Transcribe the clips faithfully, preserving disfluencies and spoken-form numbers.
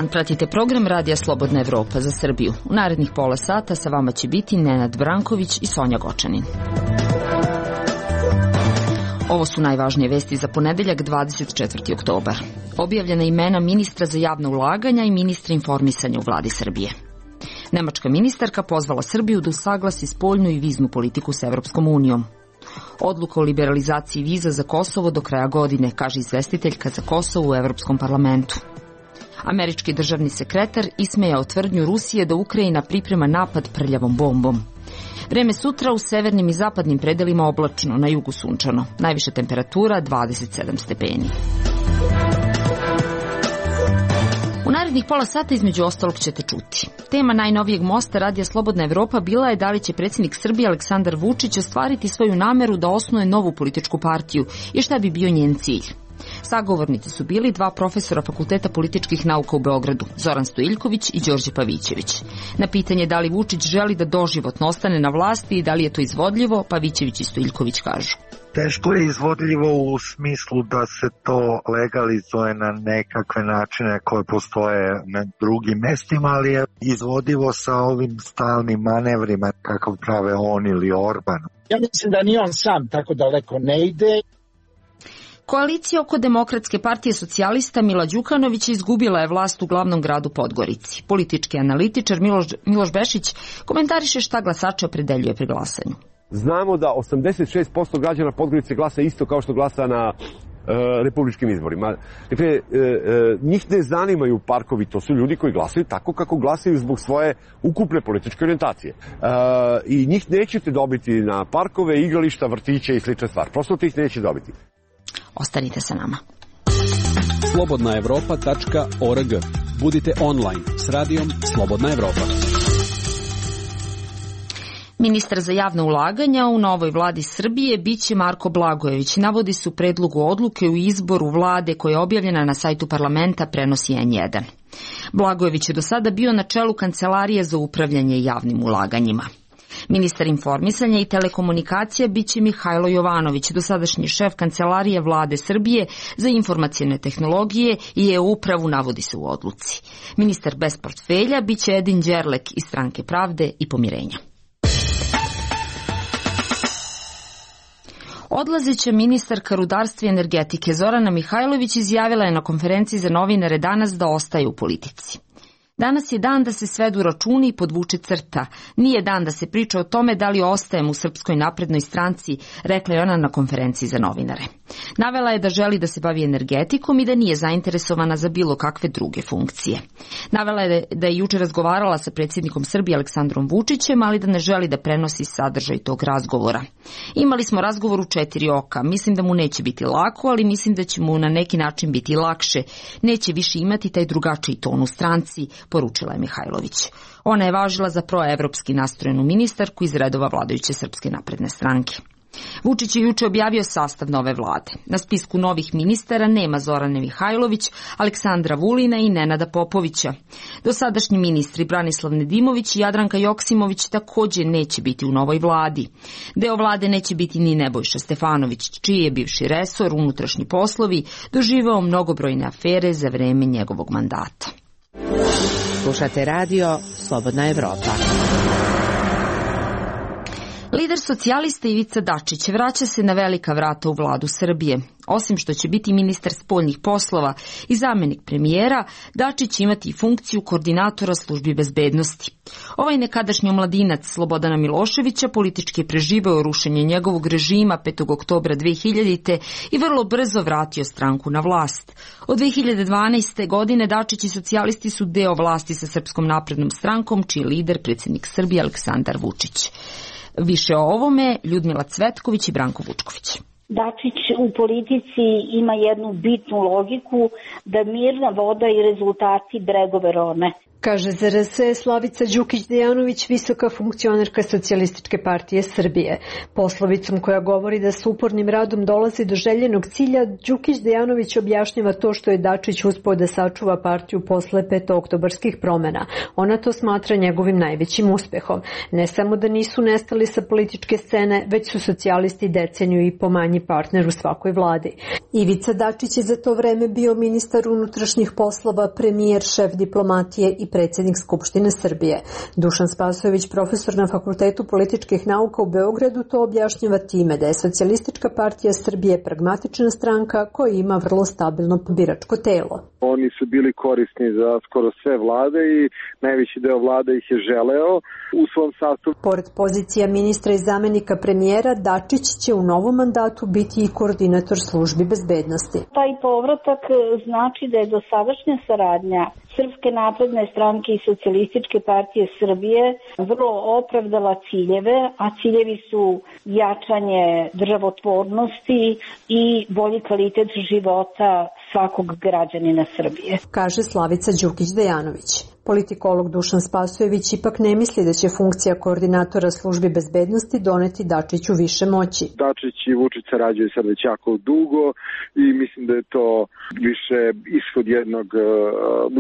dan, pratite program Radija Slobodna Evropa za Srbiju. U narednih pola sata sa vama će biti Nenad Branković i Sonja Gočanin. Ovo su najvažnije vesti za ponedeljak dvadeset četvrti oktobar. Objavljena imena ministra za javna ulaganja i ministra informisanja u vladi Srbije. Nemačka ministarka pozvala Srbiju da usaglasi spoljnu i viznu politiku s Evropskom unijom. Odluka o liberalizaciji viza za Kosovo do kraja godine, kaže izvestiteljka za Kosovo u Evropskom parlamentu. Američki državni sekretar ismejao tvrdnju Rusije da Ukrajina priprema napad prljavom bombom. Vreme sutra u severnim i zapadnim predelima oblačno, na jugu sunčano. Najviša temperatura dvadeset sedam stepeni. U narednih pola sata između ostalog ćete čuti. Tema najnovijeg mosta Radija Slobodna Evropa bila je da li će predsjednik Srbije Aleksandar Vučić ostvariti svoju nameru da osnuje novu političku partiju i šta bi bio njen cilj. Sagovornici su bili dva profesora Fakulteta političkih nauka u Beogradu, Zoran Stojiljković i Đorđe Pavićević. Na pitanje da li Vučić želi da doživotno ostane na vlasti i da li je to izvodljivo, Pavićević i Stojiljković kažu. Teško je izvodljivo u smislu da se to legalizuje na nekakve načine koje postoje na drugim mestima, ali je izvodivo sa ovim stalnim manevrima kakav prave on ili Orban. Ja mislim da ni on sam tako daleko ne ide. Koalicija oko Demokratske partije socijalista Mila Đukanovića izgubila je vlast u glavnom gradu Podgorici. Politički analitičar Miloš, Miloš Bešić komentariše šta glasače opredeljuje pri glasanju. Znamo da osamdeset šest posto građana Podgorice glasa isto kao što glasa na e, republičkim izborima. Dakle, e, e, njih ne zanimaju parkovi, to su ljudi koji glasaju tako kako glasaju zbog svoje ukupne političke orijentacije. E, I njih nećete dobiti na parkove, igrališta, vrtiće i slične stvari. Prosto ih neće dobiti. Ostanite sa nama. slobodna evropa tačka org. Budite online s radijom Slobodna Evropa. Ministar za javna ulaganja u novoj vladi Srbije biće Marko Blagojević. Navodi se u predlogu odluke u izboru vlade koja je objavljena na sajtu parlamenta, prenosi en jedan. Blagojević je do sada bio na čelu Kancelarije za upravljanje javnim ulaganjima. Ministar informisanja i telekomunikacija biće Mihajlo Jovanović, dosadašnji šef Kancelarije vlade Srbije za informacione tehnologije i e-upravu, navodi se u odluci. Ministar bez portfelja biće Edin Đerlek iz Stranke pravde i pomirenja. Odlazeća ministarka rudarstva i energetike Zorana Mihajlović izjavila je na konferenciji za novinare danas da ostaje u politici. Danas je dan da se svedu računi i podvuče crta. Nije dan da se priča o tome da li ostajem u Srpskoj naprednoj stranci, rekla je ona na konferenciji za novinare. Navela je da želi da se bavi energetikom i da nije zainteresovana za bilo kakve druge funkcije. Navela je da je juče razgovarala sa predsjednikom Srbije Aleksandrom Vučićem, ali da ne želi da prenosi sadržaj tog razgovora. Imali smo razgovor u četiri oka. Mislim da mu neće biti lako, ali mislim da će mu na neki način biti lakše. Neće više imati taj drugačiji ton u stranci, poručila je Mihajlović. Ona je važila za proevropski nastrojenu ministarku iz redova vladajuće Srpske napredne stranke. Vučić je juče objavio sastav nove vlade. Na spisku novih ministara nema Zorane Mihajlović, Aleksandra Vulina i Nenada Popovića. Dosadašnji ministri Branislav Nedimović i Jadranka Joksimović također neće biti u novoj vladi. Deo vlade neće biti ni Nebojša Stefanović, čiji je bivši resor, unutrašnji poslovi, doživeo mnogobrojne afere za vreme njegovog mandata. Slušate radio Slobodna Evropa. Lider socijalista Ivica Dačić vraća se na velika vrata u vladu Srbije. Osim što će biti ministar spoljnih poslova i zamjenik premijera, Dačić će imati i funkciju koordinatora službi bezbednosti. Ovaj nekadašnji omladinac Slobodana Miloševića politički je preživeo rušenje njegovog režima petog oktobra dve hiljadite. i vrlo brzo vratio stranku na vlast. Od dve hiljade dvanaeste. godine Dačić i socijalisti su deo vlasti sa Srpskom naprednom strankom, čiji je lider predsjednik Srbije Aleksandar Vučić. Više o ovome Ljudmila Cvetković i Branko Vučković. Dačić u politici ima jednu bitnu logiku da mirna voda i rezultati bregove rone. Kaže za R S Slavica Đukić-Dejanović, visoka funkcionerka Socijalističke partije Srbije. Poslovicom koja govori da s upornim radom dolazi do željenog cilja, Đukić-Dejanović objašnjava to što je Dačić uspeo da sačuva partiju posle petooktobarskih promena. Ona to smatra njegovim najvećim uspehom. Ne samo da nisu nestali sa političke scene, već su socijalisti deceniju i po manji partner u svakoj vladi. Ivica Dačić je za to vreme bio ministar unutrašnjih poslova, premijer, šef diplomatije i predsjednik Skupštine Srbije. Dušan Spasojević, profesor na Fakultetu političkih nauka u Beogradu, to objašnjava time da je Socijalistička partija Srbije pragmatična stranka koja ima vrlo stabilno biračko telo. Oni su bili korisni za skoro sve vlade i najveći deo vlade ih je želeo u svom sastavu. Pored pozicija ministra i zamenika premijera, Dačić će u novom mandatu biti i koordinator službi bezbednosti. Taj povratak znači da je dosadašnja saradnja Srpske napredne stranke i Socijalističke partije Srbije vrlo opravdala ciljeve, a ciljevi su jačanje državotvornosti i bolji kvalitet života svakog građanina Srbije. Kaže Slavica Đukić-Dejanović. Politikolog Dušan Spasojević ipak ne misli da će funkcija koordinatora službi bezbednosti doneti Dačiću više moći. Dačić i Vučić sarađuju sad već jako dugo i mislim da je to više ishod jednog uh,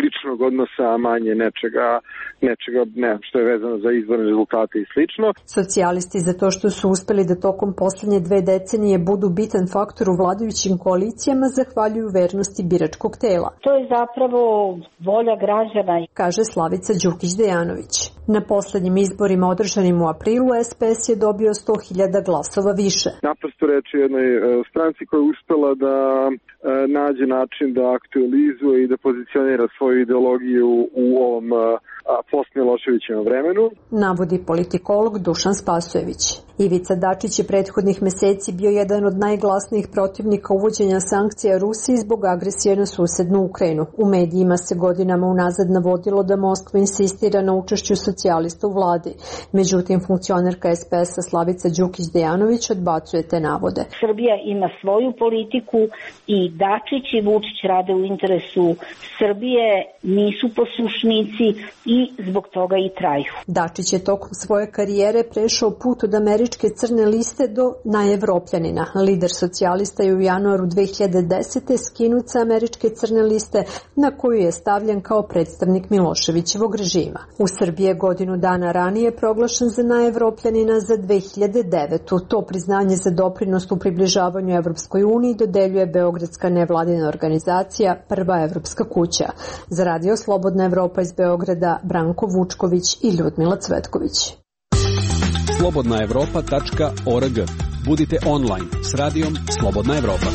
ličnog odnosa, a manje nečega, nečega ne, što je vezano za izborne rezultate i slično. Socijalisti za to što su uspeli da tokom posljednje dve decenije budu bitan faktor u vladajućim koalicijama zahvaljuju vernosti biračkog tela. To je zapravo volja građana, kaže Slavica Đukić-Dejanović. Na posljednjim izborima održanim u aprilu S P S je dobio sto hiljada glasova više. Naprosto reč je jednoj stranci koja je uspela da nađe način da aktualizuje i da pozicionira svoju ideologiju u ovom post-Miloševićevom vremenu. Navodi politikolog Dušan Spasojević. Ivica Dačić je prethodnih meseci bio jedan od najglasnijih protivnika uvođenja sankcija Rusiji zbog agresije na susednu Ukrajinu. U medijima se godinama unazad navodilo da Moskva insistira na učešću socijalista u vladi. Međutim, funkcionerka S P S-a Slavica Đukić-Dejanović odbacuje te navode. Srbija ima svoju politiku i Dačić i Vučić rade u interesu Srbije, nisu poslušnici i zbog toga i traju. Dačić je tokom svoje karijere prešao put od američke crne liste do najevropljanina. Lider socijalista je u januaru dve hiljade desete skinut sa američke crne liste na koju je stavljen kao predstavnik Miloševićevog režima. U Srbiji je godinu dana ranije proglašen za najevropljanina za dve hiljade devetu. To priznanje za doprinos u približavanju Evropskoj uniji dodeljuje beogradska nevladina organizacija Prva evropska kuća. Za Radio Slobodna Evropa iz Beograda Branko Vučković i Ljudmila Cvetković. slobodna evropa tačka org. Budite online s radijom Slobodna Evropa.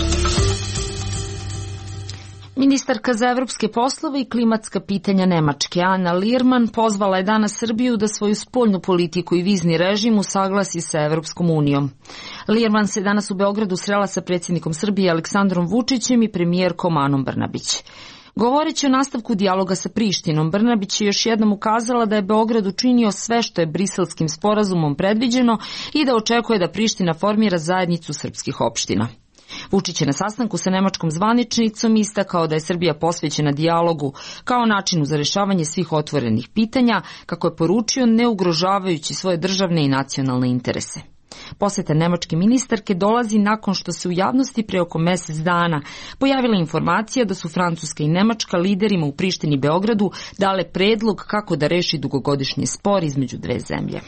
Ministarka za evropske poslove i klimatska pitanja Nemačke Ana Lierman pozvala je danas Srbiju da svoju spoljnu politiku i vizni režim usaglasi sa Evropskom unijom. Lierman se danas u Beogradu srela sa predsjednikom Srbije Aleksandrom Vučićem i premijerkom Anom Brnabić. Govoreći o nastavku dijaloga sa Prištinom, Brnabić je još jednom ukazala da je Beograd učinio sve što je Briselskim sporazumom predviđeno i da očekuje da Priština formira zajednicu srpskih opština. Vučić je na sastanku sa nemačkom zvaničnicom istakao da je Srbija posvećena dijalogu kao načinu za rješavanje svih otvorenih pitanja, kako je poručio, ne ugrožavajući svoje državne i nacionalne interese. Posjeta nemačke ministarke dolazi nakon što se u javnosti pre oko mjesec dana pojavila informacija da su Francuska i Nemačka liderima u Prištini i Beogradu dale predlog kako da reši dugogodišnji spor između dve zemlje.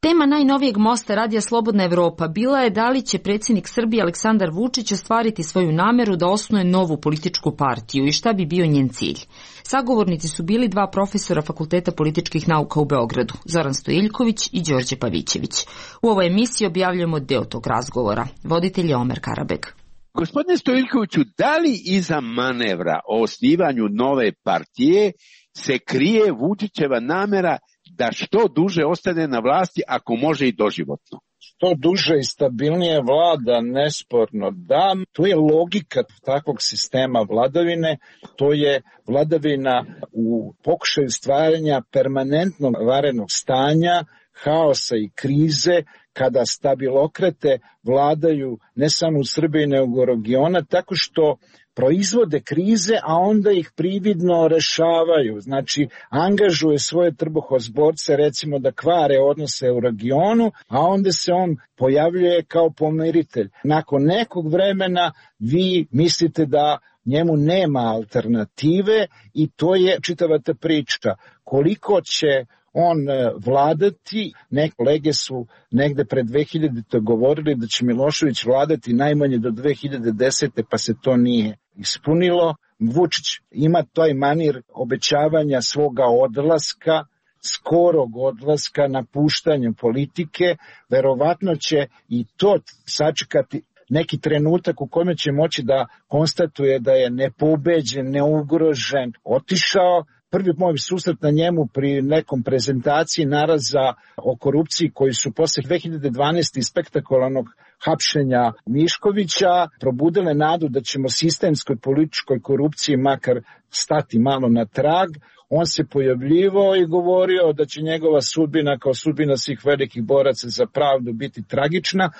Tema najnovijeg mosta Radija Slobodna Evropa bila je da li će predsjednik Srbije Aleksandar Vučić ostvariti svoju nameru da osnuje novu političku partiju i šta bi bio njen cilj. Sagovornici su bili dva profesora Fakulteta političkih nauka u Beogradu, Zoran Stojiljković i Đorđe Pavićević. U ovoj emisiji objavljujemo deo tog razgovora. Voditelj je Omer Karabeg. Gospodine Stojiljkoviću, da li iza manevra o osnivanju nove partije se krije Vučićeva namera da što duže ostane na vlasti, ako može i doživotno? Što duže i stabilnije vlada, nesporno da. Tu je logika takvog sistema vladavine, to je vladavina u pokušaju stvaranja permanentnog vanrednog stanja, haosa i krize, kada stabilokrate vladaju ne samo u Srbiji nego u regiona, tako što proizvode krize, a onda ih prividno rešavaju. Znači, angažuje svoje trbuhozborce, recimo da kvare odnose u regionu, a onda se on pojavljuje kao pomiritelj. Nakon nekog vremena vi mislite da njemu nema alternative i to je čitava ta priča. Koliko će on vladati, neke kolege su negde pred dve hiljadite govorili da će Milošević vladati najmanje do dve hiljade desete pa se to nije ispunilo. Vučić ima taj manir obećavanja svoga odlaska, skorog odlaska, napuštanja politike, verovatno će i to sačekati neki trenutak u kome će moći da konstatuje da je nepobeđen, neugrožen, otišao. Prvi moj susret na njemu pri nekom prezentaciji naraza o korupciji koji su posle dve hiljade dvanaeste spektakularnog hapšenja Miškovića probudile nadu da ćemo sistemskoj političkoj korupciji makar stati malo na trag. On se pojavljivao i govorio da će njegova sudbina kao sudbina svih velikih boraca za pravdu biti tragična,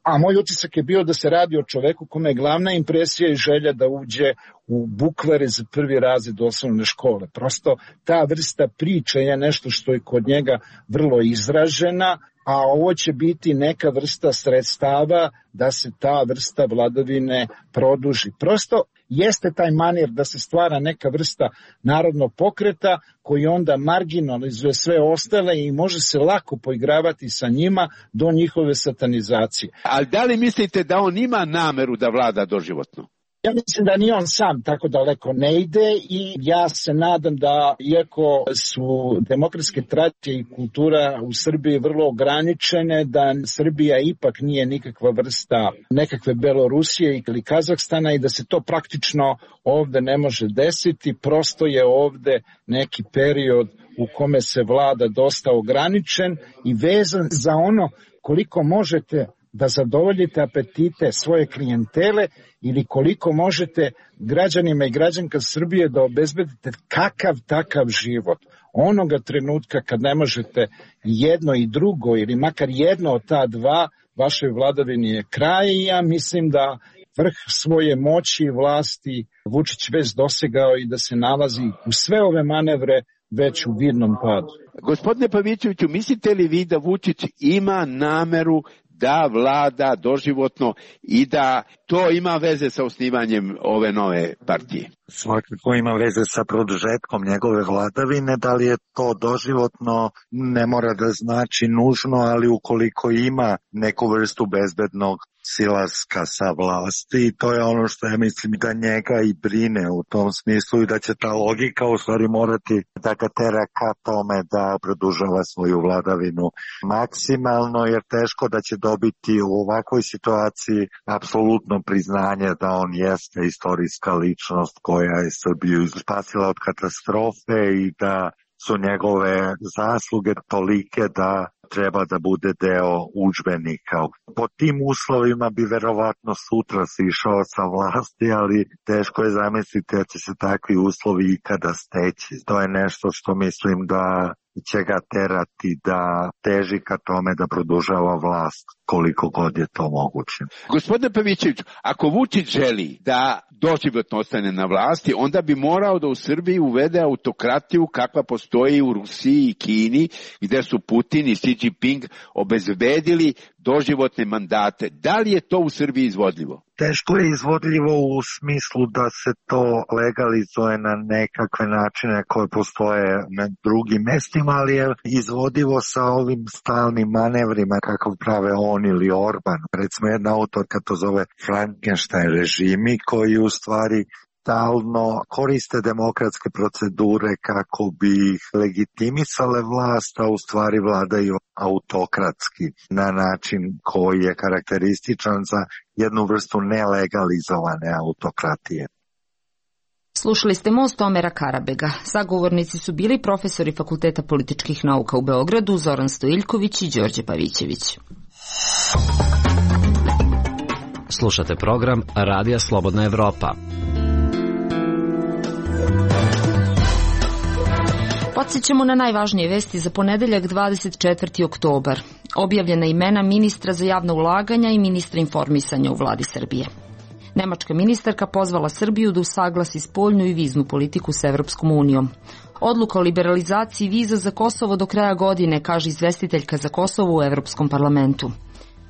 a moj utisak je bio da se radi o čoveku kome je glavna impresija i želja da uđe u bukvare za prvi razred osnovne škole. Prosto ta vrsta priče je nešto što je kod njega vrlo izražena, a ovo će biti neka vrsta sredstava da se ta vrsta vladavine produži. Prosto jeste taj manir da se stvara neka vrsta narodnog pokreta koji onda marginalizuje sve ostale i može se lako poigravati sa njima do njihove satanizacije. Ali da li mislite da on ima nameru da vlada doživotno? Ja mislim da ni on sam tako daleko ne ide i ja se nadam da, iako su demokratske tradicije i kultura u Srbiji vrlo ograničene, da Srbija ipak nije nikakva vrsta nekakve Belorusije ili Kazahstana i da se to praktično ovde ne može desiti, prosto je ovde neki period u kome se vlada dosta ograničen i vezan za ono koliko možete da zadovoljite apetite svoje klijentele ili koliko možete građanima i građanka Srbije da obezbedite kakav takav život. Onoga trenutka kad ne možete jedno i drugo ili makar jedno od ta dva, vašoj vladavini je kraj i ja mislim da vrh svoje moći i vlasti Vučić već dosegao i da se nalazi u sve ove manevre već u vidnom padu. Gospodine Pavićeviću, mislite li vi da Vučić ima nameru da vlada doživotno i da to ima veze sa osnivanjem ove nove partije? Svakako ima veze sa produžetkom njegove vladavine, da li je to doživotno ne mora da znači nužno, ali ukoliko ima neku vrstu bezbednog silaska sa vlasti, to je ono što ja mislim da njega i brine u tom smislu i da će ta logika u stvari morati da ga tera ka tome da produžava svoju vladavinu maksimalno, jer teško da će dobiti u ovakvoj situaciji apsolutno priznanje da on jeste istorijska ličnost koja je Srbiju spasila od katastrofe i da su njegove zasluge tolike da treba da bude deo udžbenika. Po tim uslovima bi verovatno sutra sišao sa vlasti, ali teško je zamisliti da će se takvi uslovi ikada steći. To je nešto što mislim da će ga terati da teži ka tome da produžava vlast koliko god je to moguće. Gospodine Pavićević, ako Vučić želi da doživotno ostane na vlasti, onda bi morao da u Srbiji uvede autokratiju kakva postoji u Rusiji i Kini, gde su Putin i Xi Jinping obezbedili doživotne mandate. Da li je to u Srbiji izvodljivo? Teško je izvodljivo u smislu da se to legalizuje na nekakve načine koje postoje na drugim mestima, ali je izvodivo sa ovim stalnim manevrima kakav prave on ili Orban. Recimo jedna autorka to zove Frankenstein režimi koji u stvari stalno koriste demokratske procedure kako bi ih legitimisale vlast, a u stvari vladaju autokratski na način koji je karakterističan za jednu vrstu nelegalizovane autokratije. Slušali ste Most Omera Karabega. Sagovornici su bili profesori Fakulteta političkih nauka u Beogradu Zoran Stojiljković i Đorđe Pavićević. Slušate program Radija Slobodna Evropa. Podsjećamo na najvažnije vesti za ponedeljak dvadeset četvrti oktobar. Objavljena imena ministra za javna ulaganja i ministra informisanja u vladi Srbije. Nemačka ministarka pozvala Srbiju da usaglasi spoljnu i viznu politiku s Evropskom unijom. Odluka o liberalizaciji viza za Kosovo do kraja godine, kaže izvestiteljka za Kosovo u Evropskom parlamentu.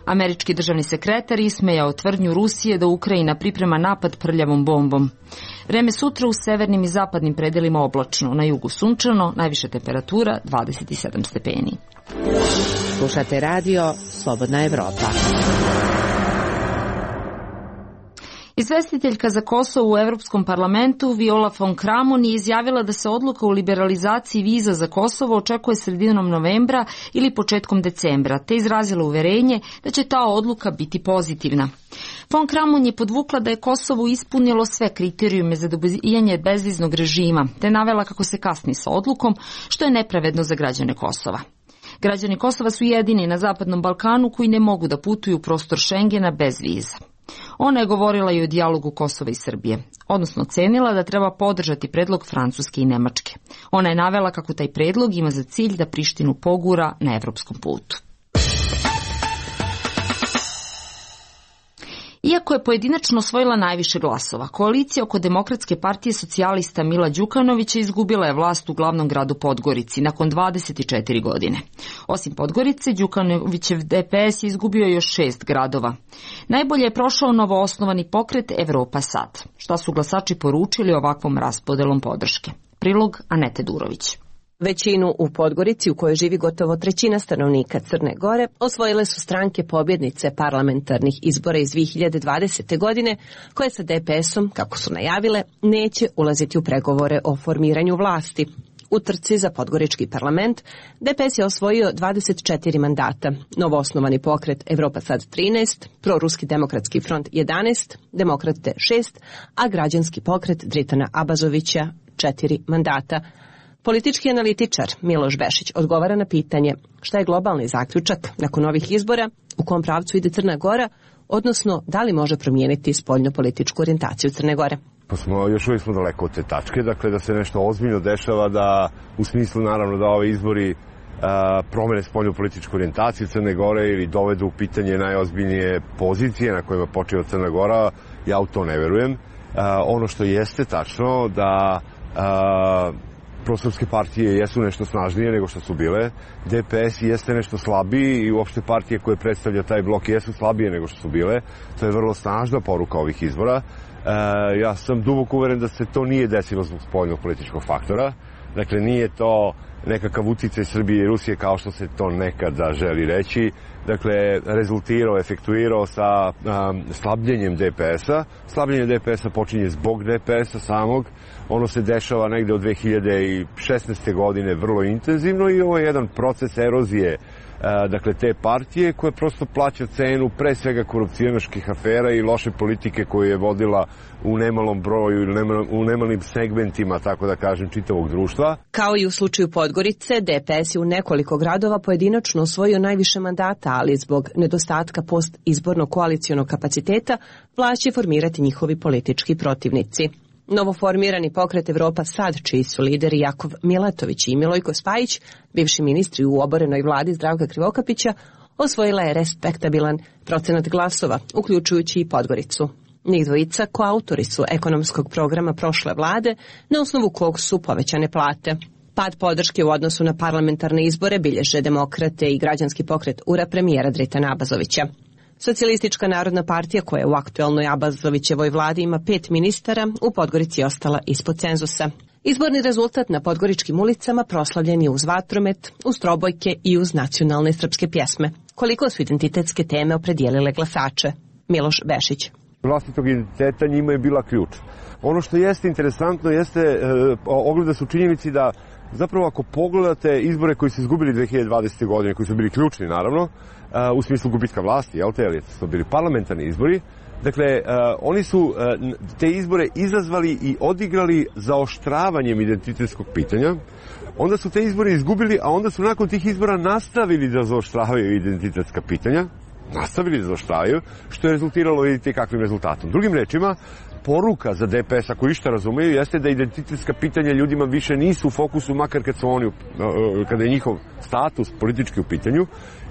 Američki državni sekretar ismejao tvrdnju Rusije da Ukrajina priprema napad prljavom bombom. Vreme sutra u severnim i zapadnim predelima oblačno, na jugu sunčano, najviša temperatura dvadeset sedam stepeni. Slušate radio Slobodna Evropa. Izvestiteljka za Kosovo u Evropskom parlamentu Viola von Kramon je izjavila da se odluka o liberalizaciji viza za Kosovo očekuje sredinom novembra ili početkom decembra, te izrazila uverenje da će ta odluka biti pozitivna. Von Kramon je podvukla da je Kosovo ispunilo sve kriterijume za dobijanje bezviznog režima, te navela kako se kasni sa odlukom, što je nepravedno za građane Kosova. Građani Kosova su jedini na Zapadnom Balkanu koji ne mogu da putuju u prostor Šengena bez viza. Ona je govorila i o dijalogu Kosova i Srbije, odnosno ocenila da treba podržati predlog Francuske i Nemačke. Ona je navela kako taj predlog ima za cilj da Prištinu pogura na evropskom putu. Iako je pojedinačno osvojila najviše glasova, koalicija oko Demokratske partije socijalista Mila Đukanovića izgubila je vlast u glavnom gradu Podgorici nakon dvadeset četiri godine. Osim Podgorice, Đukanovićev D P S je izgubio još šest gradova. Najbolje je prošao novoosnovani pokret Evropa sad. Šta su glasači poručili ovakvom raspodelom podrške? Prilog Anete Durović. Većinu u Podgorici, u kojoj živi gotovo trećina stanovnika Crne Gore, osvojile su stranke pobjednice parlamentarnih izbora iz dve hiljade dvadesete. godine, koje sa D P S-om, kako su najavile, neće ulaziti u pregovore o formiranju vlasti. U trci za podgorički parlament D P S je osvojio dvadeset četiri mandata, novoosnovani pokret Evropa sad trinaest, proruski demokratski front jedanaest, demokrate šest, a građanski pokret Dritana Abazovića četiri mandata. Politički analitičar Miloš Bešić odgovara na pitanje šta je globalni zaključak nakon ovih izbora, u kom pravcu ide Crna Gora, odnosno da li može promijeniti spoljno-političku orijentaciju Crne Gore. Pa smo, još uvijek smo daleko od te tačke, dakle da se nešto ozbiljno dešava, da u smislu naravno da ove izbori a, promene spoljno-političku orijentaciju Crne Gore ili dovedu u pitanje najozbiljnije pozicije na kojima počiva Crna Gora, ja u to ne verujem. A, ono što jeste tačno da a, prosrpske partije jesu nešto snažnije nego što su bile, D P S jeste nešto slabiji i uopšte partije koje predstavlja taj blok jesu slabije nego što su bile. To je vrlo snažna poruka ovih izbora. E, ja sam duboko uveren da se to nije desilo zbog spoljnog političkog faktora. Dakle, nije to nekakav uticaj Srbije i Rusije kao što se to nekada želi reći. Dakle, rezultirao, efektuirao sa um, slabljenjem D P S-a. Slabljenje D P S-a počinje zbog D P S-a samog. Ono se dešava negde od dve hiljade šesnaeste. godine vrlo intenzivno i ovo je jedan proces erozije uh, dakle, te partije koja prosto plaća cenu pre svega korupcionaških afera i loše politike koju je vodila u nemalom broju ili u nemalim segmentima, tako da kažem, čitavog društva. Kao i u slučaju Podgorice, D P S je u nekoliko gradova pojedinačno osvojio najviše mandata, ali zbog nedostatka post-izbornog koalicionog kapaciteta vlast će formirati njihovi politički protivnici. Novoformirani pokret Evropa sad, čiji su lideri Jakov Milatović i Milojko Spajić, bivši ministri u oborenoj vladi Zdravka Krivokapića, osvojila je respektabilan procenat glasova, uključujući i Podgoricu. Njih dvojica koautori su ekonomskog programa prošle vlade, na osnovu kog su povećane plate. Pad podrške u odnosu na parlamentarne izbore bilježe demokrate i građanski pokret ura premijera Dritana Abazovića. Socijalistička narodna partija, koja je u aktuelnoj Abazovićevoj vladi ima pet ministara, u Podgorici je ostala ispod cenzusa. Izborni rezultat na podgoričkim ulicama proslavljen je uz vatromet, uz trobojke i uz nacionalne srpske pjesme. Koliko su identitetske teme opredijelile glasače? Miloš Bešić. Vlastitog identiteta njima je bila ključ. Ono što jeste interesantno jeste, e, ogleda su činjenici da zapravo ako pogledate izbore koji su izgubili dve hiljade dvadesete. godine, koji su bili ključni naravno, u smislu gubitka vlasti, jel te, ali su bili parlamentarni izbori, dakle, oni su te izbore izazvali i odigrali zaoštravanjem identitetskog pitanja, onda su te izbore izgubili, a onda su nakon tih izbora nastavili da zaoštravaju identitetska pitanja, nastavili da zaoštravaju, što je rezultiralo, vidite, kakvim rezultatom. Drugim rečima, poruka za D P S, ako išta razumeju, jeste da identitetska pitanja ljudima više nisu u fokusu, makar kad su oni, kada je njihov status politički u pitanju,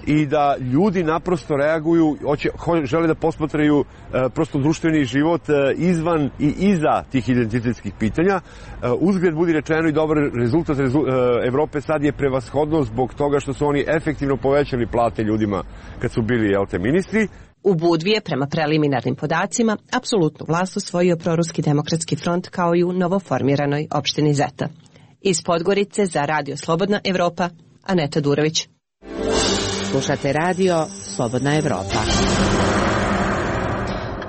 i da ljudi naprosto reaguju, hoće, žele da posmatraju e, prosto društveni život e, izvan i iza tih identitetskih pitanja. E, uzgled budi rečeno i dobar rezultat rezu, e, Evrope sad je prevashodno zbog toga što su oni efektivno povećali plate ljudima kad su bili, jel te, ministri. U Budvi je, prema preliminarnim podacima, apsolutnu vlast osvojio Proruski demokratski front kao i u novoformiranoj opštini Zeta. Iz Podgorice za Radio Slobodna Evropa, Aneta Durović. Slušate radio Slobodna Evropa.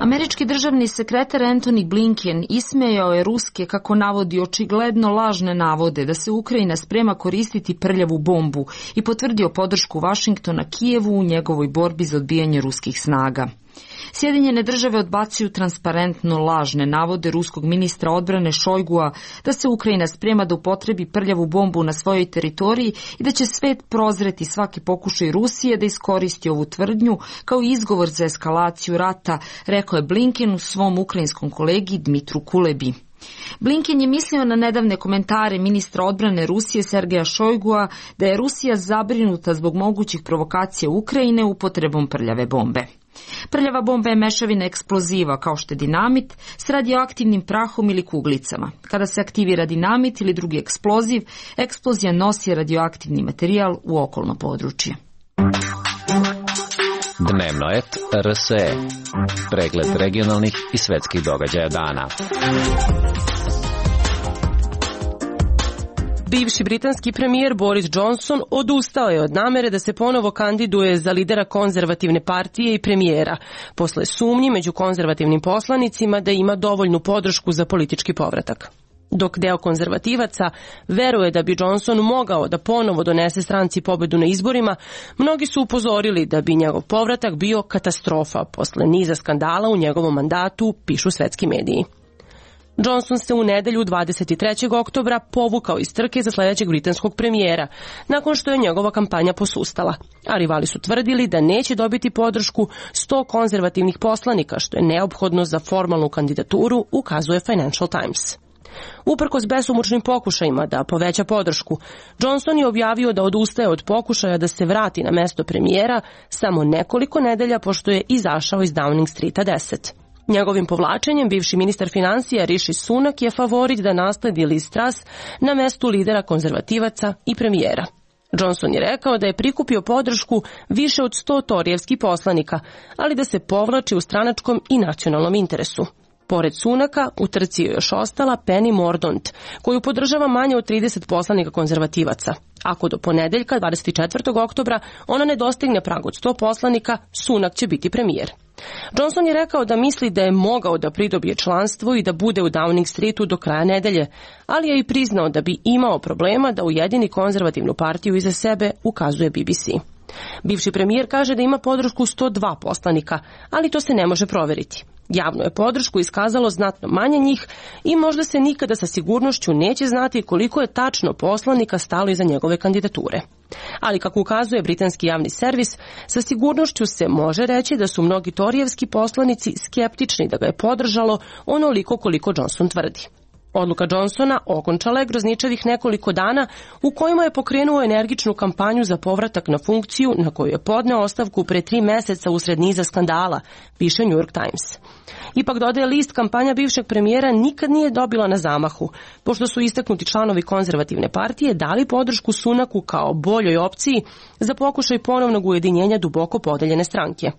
Američki državni sekretar Antony Blinken ismejao je ruske, kako navodi, očigledno lažne navode da se Ukrajina sprema koristiti prljavu bombu i potvrdio podršku Vašingtona Kijevu u njegovoj borbi za odbijanje ruskih snaga. Sjedinjene države odbacuju transparentno lažne navode ruskog ministra odbrane Šojgua da se Ukrajina sprema da upotrebi prljavu bombu na svojoj teritoriji i da će svet prozreti svaki pokušaj Rusije da iskoristi ovu tvrdnju kao izgovor za eskalaciju rata, rekao je Blinken u svom ukrajinskom kolegi Dmitru Kulebi. Blinken je mislio na nedavne komentare ministra odbrane Rusije Sergeja Šojgua da je Rusija zabrinuta zbog mogućih provokacija Ukrajine upotrebom prljave bombe. Prljava bomba je mešavina eksploziva kao što je dinamit s radioaktivnim prahom ili kuglicama. Kada se aktivira dinamit ili drugi eksploziv, eksplozija nosi radioaktivni materijal u okolno područje. Dnevno et R S E. Pregled regionalnih i svetskih događaja dana. Bivši britanski premijer Boris Johnson odustao je od namere da se ponovo kandiduje za lidera konzervativne partije i premijera, posle sumnji među konzervativnim poslanicima da ima dovoljnu podršku za politički povratak. Dok deo konzervativaca veruje da bi Johnson mogao da ponovo donese stranci pobedu na izborima, mnogi su upozorili da bi njegov povratak bio katastrofa posle niza skandala u njegovom mandatu, pišu svetski mediji. Johnson se u nedelju dvadeset trećeg oktobra povukao iz trke za sledećeg britanskog premijera, nakon što je njegova kampanja posustala, a rivali su tvrdili da neće dobiti podršku sto konzervativnih poslanika, što je neophodno za formalnu kandidaturu, ukazuje Financial Times. Uprkos besomučnim pokušajima da poveća podršku, Johnson je objavio da odustaje od pokušaja da se vrati na mesto premijera samo nekoliko nedelja pošto je izašao iz Downing Streeta deset. Njegovim povlačenjem bivši ministar financija Rishi Sunak je favorit da nasledi Liz Truss na mestu lidera konzervativaca i premijera. Johnson je rekao da je prikupio podršku više od sto torijevskih poslanika, ali da se povlači u stranačkom i nacionalnom interesu. Pored Sunaka, u trci je još ostala Penny Mordaunt, koju podržava manje od trideset poslanika konzervativaca. Ako do ponedeljka, dvadeset četvrtog oktobra, ona ne dostigne prag od sto poslanika, Sunak će biti premijer. Johnson je rekao da misli da je mogao da pridobije članstvo i da bude u Downing Streetu do kraja nedelje, ali je i priznao da bi imao problema da ujedini konzervativnu partiju iza sebe, ukazuje B B C. Bivši premijer kaže da ima podršku sto dva poslanika, ali to se ne može proveriti. Javno je podršku iskazalo znatno manje njih i možda se nikada sa sigurnošću neće znati koliko je tačno poslanika stalo iza njegove kandidature. Ali kako ukazuje britanski javni servis, sa sigurnošću se može reći da su mnogi torijevski poslanici skeptični da ga je podržalo onoliko koliko Johnson tvrdi. Odluka Johnsona okončala je grozničavih nekoliko dana u kojima je pokrenuo energičnu kampanju za povratak na funkciju na koju je podneo ostavku pre tri meseca usred niza skandala, piše New York Times. Ipak, dodaje list, kampanja bivšeg premijera nikad nije dobila na zamahu, pošto su istaknuti članovi konzervativne partije dali podršku Sunaku kao boljoj opciji za pokušaj ponovnog ujedinjenja duboko podeljene stranke.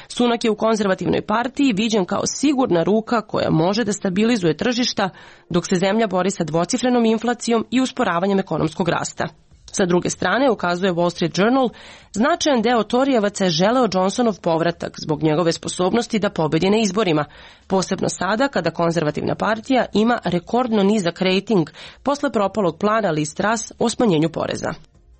Sunak je u konzervativnoj partiji viđen kao sigurna ruka koja može da stabilizuje tržišta, dok se zemlja bori sa dvocifrenom inflacijom i usporavanjem ekonomskog rasta. Sa druge strane, ukazuje Wall Street Journal, značajan deo torijevaca je želeo Johnsonov povratak zbog njegove sposobnosti da pobedi na izborima, posebno sada kada konzervativna partija ima rekordno nizak rejting posle propalog plana Liz Truss o smanjenju poreza.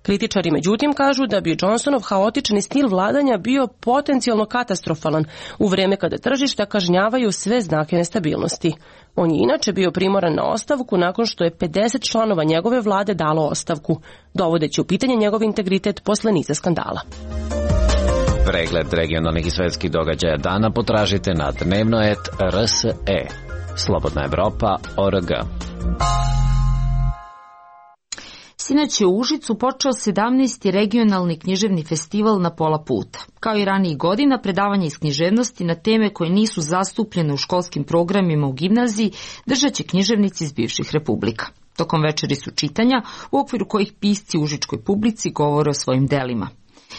Kritičari međutim kažu da bi Johnsonov haotični stil vladanja bio potencijalno katastrofalan u vreme kada tržišta kažnjavaju sve znake nestabilnosti. On je inače bio primoran na ostavku nakon što je pedeset članova njegove vlade dalo ostavku, dovodeći u pitanje njegov integritet posle niza skandala. Pregled regionalnih i svetskih događaja dana potražite na dnevno et R S E. slobodna evropa tačka org. Sinoć je u Užicu počeo sedamnaesti regionalni književni festival Na pola puta. Kao i ranijih godina, predavanja iz književnosti na teme koje nisu zastupljene u školskim programima u gimnaziji držat će književnici iz bivših republika. Tokom večeri su čitanja, u okviru kojih pisci u užičkoj publici govore o svojim delima.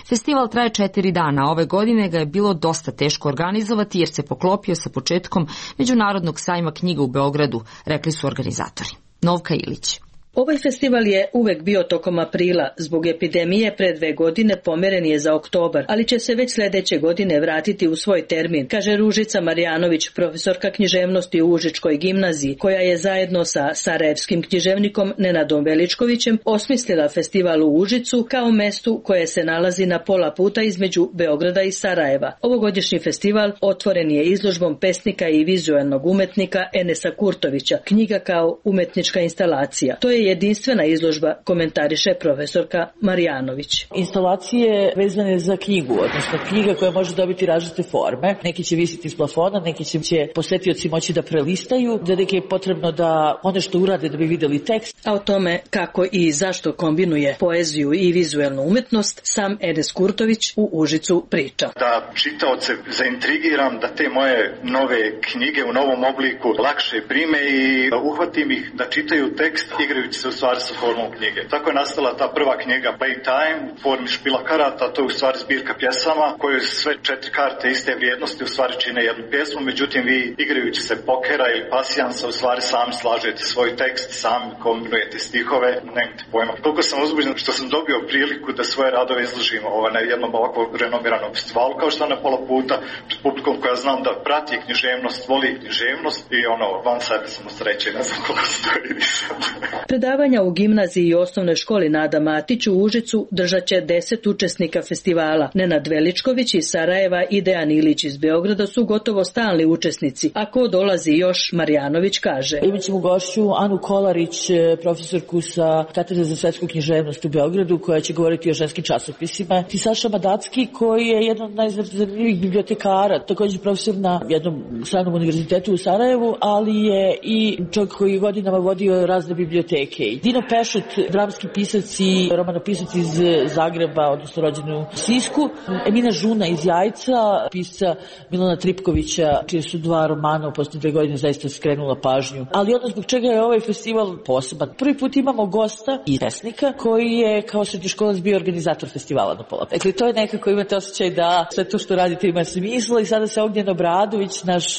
Festival traje četiri dana, ove godine ga je bilo dosta teško organizovati jer se poklopio sa početkom Međunarodnog sajma knjiga u Beogradu, rekli su organizatori. Novka Ilić. Ovaj festival je uvek bio tokom aprila, zbog epidemije pre dve godine pomeren je za oktobar, ali će se već sledeće godine vratiti u svoj termin, kaže Ružica Marjanović, profesorka književnosti u Užičkoj gimnaziji, koja je zajedno sa sarajevskim književnikom Nenadom Veličkovićem osmislila festival u Užicu kao mestu koje se nalazi na pola puta između Beograda i Sarajeva. Ovogodišnji festival otvoren je izložbom pesnika i vizuelnog umetnika Enesa Kurtovića, knjiga kao umetnička instalacija. To je jedinstvena izložba, komentariše profesorka Marjanović. Instalacije vezane za knjigu, odnosno knjiga koja može dobiti različite forme. Neki će visiti iz plafona, neki će posetioci moći da prelistaju, da neki je potrebno da one što urade da bi videli tekst. A o tome kako i zašto kombinuje poeziju i vizuelnu umetnost, sam Enes Kurtović u Užicu priča. Da čitaoce zaintrigiram, da te moje nove knjige u novom obliku lakše prime i uhvatim ih da čitaju tekst igrajući se u stvari sa formom knjige. Tako je nastala ta prva knjiga Playtime u formi špila karata, to je u stvari zbirka pjesama koje sve četiri karte iste vrijednosti u stvari čine jednu pjesmu, međutim vi igrajući se pokera ili pasijansa u stvari sami slažete svoj tekst, sami kombinujete stihove, nemate pojma. Koliko sam uzbuđen što sam dobio priliku da svoje radove izložim ovaj, na jednom ovako renomiranom festivalu, kao što na pola puta, pred publikom koja znam da prati književnost, voli književnost i ono, van sebe sam u sreće, ne znam koliko se to vidi sad. Predavanja u gimnaziji i osnovnoj školi Nada Matić u Užicu držat će deset učesnika festivala. Nenad Veličković iz Sarajeva i Dejan Ilić iz Beograda su gotovo stalni učesnici. Ako dolazi još, Marjanović kaže. Imaćemo gošću Anu Kolarić, profesorku sa Katedre za svetsku književnost u Beogradu, koja će govoriti o ženskim časopisima. I Saša Madacki, koji je jedan od najzanimljivijih bibliotekara, također profesor na jednom stranom univerzitetu u Sarajevu, ali je i čovjek koji godinama vodio razne biblioteke. Dino Pešut, dramski pisac i romanopisac iz Zagreba, odnosno rođen u Sisku. Emina Žuna iz Jajca, pisca Milana Tripkovića, čije su dva romana u posljednje dve godine zaista skrenula pažnju. Ali ono zbog čega je ovaj festival poseban. Prvi put imamo gosta i pesnika koji je kao srednjoškolac bio organizator festivala Na pola. Dakle, to je nekako, imate osjećaj da sve to što radite ima smisla i sada se Ognjen Obradović, naš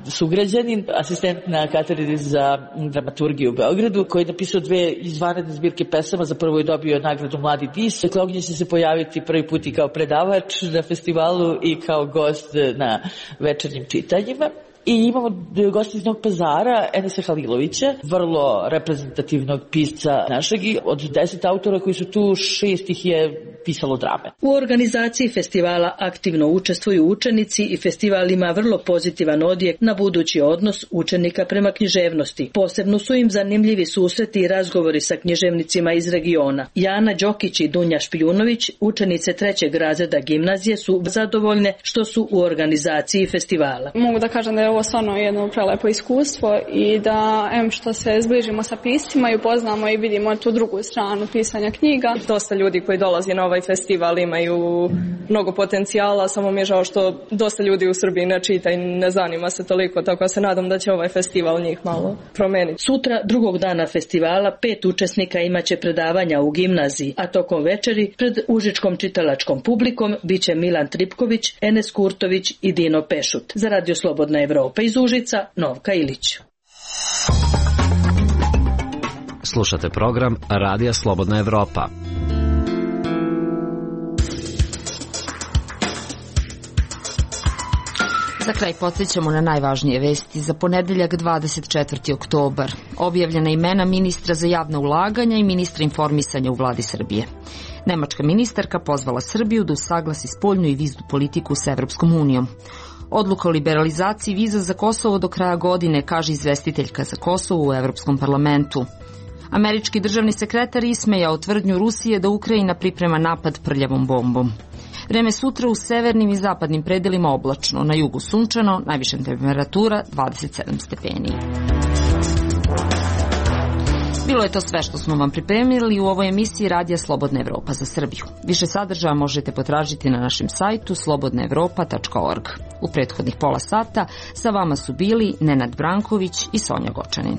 sugrađanin, asistent na Katedri za dramaturgiju u Beogradu, koji je napisao dve izvanredne zbirke pesama, za prvo je dobio nagradu Mladi dis. Dakle, Ognjen će se pojaviti prvi put i kao predavač na festivalu i kao gost na večernjim čitanjima. I imamo gosti iz Novog Pazara, Enesa Halilovića, vrlo reprezentativnog pisca našeg. Od deset autora koji su tu, šest ih je pisalo drame. U organizaciji festivala aktivno učestvuju učenici i festival ima vrlo pozitivan odjek na budući odnos učenika prema književnosti. Posebno su im zanimljivi susreti i razgovori sa književnicima iz regiona. Jana Đokić i Dunja Špijunović, učenice trećeg razreda gimnazije, su zadovoljne što su u organizaciji festivala. Mogu da kažem da je ovo stvarno jedno prelepo iskustvo i da em što se zbližimo sa piscima i upoznamo i vidimo tu drugu stranu pisanja knjiga. Dosta ljudi koji dolazi na ovaj festival imaju mnogo potencijala, samo mi je žao što dosta ljudi u Srbiji ne čita i ne zanima se toliko, tako se nadam da će ovaj festival njih malo promeniti. Sutra, drugog dana festivala, pet učesnika imaće predavanja u gimnaziji, a tokom večeri pred užičkom čitalačkom publikom biće Milan Tripković, Enes Kurtović i Dino Pešut. Za Radio Slobodna Evropa iz Užica, Novka Ilić. Slušate program Radija Slobodna Evropa. Za kraj podsjećamo na najvažnije vesti za ponedeljak dvadeset četvrti oktobar. Objavljena imena ministra za javna ulaganja i ministra informisanja u vladi Srbije. Nemačka ministarka pozvala Srbiju da usaglasi spoljnu i viznu politiku sa Evropskom unijom. Odluka o liberalizaciji viza za Kosovo do kraja godine, kaže izvestiteljka za Kosovo u Evropskom parlamentu. Američki državni sekretar ismejao tvrdnju Rusije da Ukrajina priprema napad prljavom bombom. Vreme sutra u severnim i zapadnim predelima oblačno, na jugu sunčano, najviša temperatura dvadeset sedam stepeni. Bilo je to sve što smo vam pripremili u ovoj emisiji Radija Slobodna Evropa za Srbiju. Više sadržaja možete potražiti na našem sajtu slobodna evropa tačka org. U prethodnih pola sata sa vama su bili Nenad Branković i Sonja Gočanin.